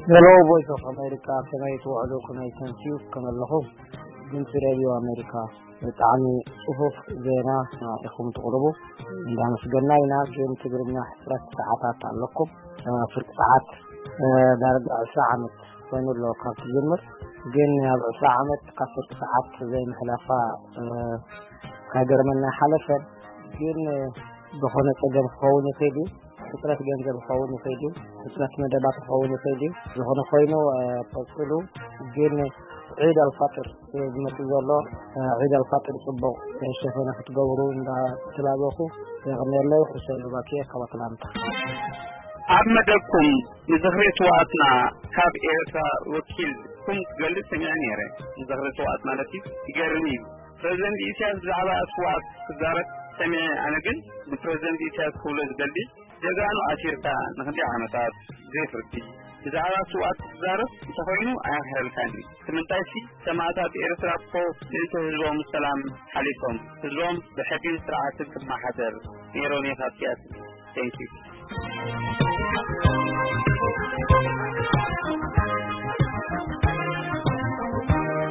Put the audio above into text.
Hello, Voice of America. ከመይ ትውዕሉ? ከመይ ተምስዩ? ከመይ ኣለኹም? ድምፂ ሬድዮ ኣሜሪካ፣ ብጣዕሚ ጽፉፍ ዜና ኢኹም ትቕርቡ፣ እንዳመስገና ኢና። ግን ትግርኛ ሕጽረት ሰዓታት ኣለኩም። ፍርቂ ሰዓት ዳርጋ ዕስራ ዓመት ኮይኑ ኣሎ ካብ ትጅምር። ግን ኣብ ዕስራ ዓመት ካብ ፍርቂ ሰዓት ዘይምሕላፋ ሃገርመና ሓለፈን። ግን ዝኾነ ጸገም ክኸውን ይኽእል እዩ። ሕጽረት ገንዘብ ክኸውን ይኽእል እዩ። ሕጽረት መደባት ክኸውን ይኽእል እዩ። ዝኾነ ኮይኑ ቀጽሉ። ግን ዒድ ኣልፋጥር ዝመጽእ ዘሎ፣ ዒድ ኣልፋጥር ጽቡቕ ሸፈነ ክትገብሩ እንዳተላበኹ የቕንየለይ። ሕሰን ሉባኪ ካብ ኣትላንታ። ኣብ መደብኩም ንዝኽሪ ስውኣትና ካብ ኤርትራ ወኪልኩም ክገልጽ ሰሚዐ ነይረ። ንዝኽሪ ስውኣት ማለት እዩ። ይገርም እዩ። ፕረዚደንት ኢሳያስ ብዛዕባ ስውኣት ክዛረብ ሰሚዐ። ኣነ ግን ንፕረዚደንት ኢሳያስ ክብሎ ዝደሊ፣ ጀጋኑ ኣሲርካ ንክንደይ ዓመታት ዘይፍርዲ ብዛዕባ ስውኣት ክትዛረብ እንተኾይኑ ኣይምሕረልካን እዩ። እቲ ምንታይ ሲ ሰማእታት ኤርትራ እኮ ምእንቲ ህዝቦም ሰላም ሓሊፎም፣ ህዝቦም ብሕግን ስርዓትን ክመሓደር ነይሮም እዩ ካብ ሲያትል። Thank you።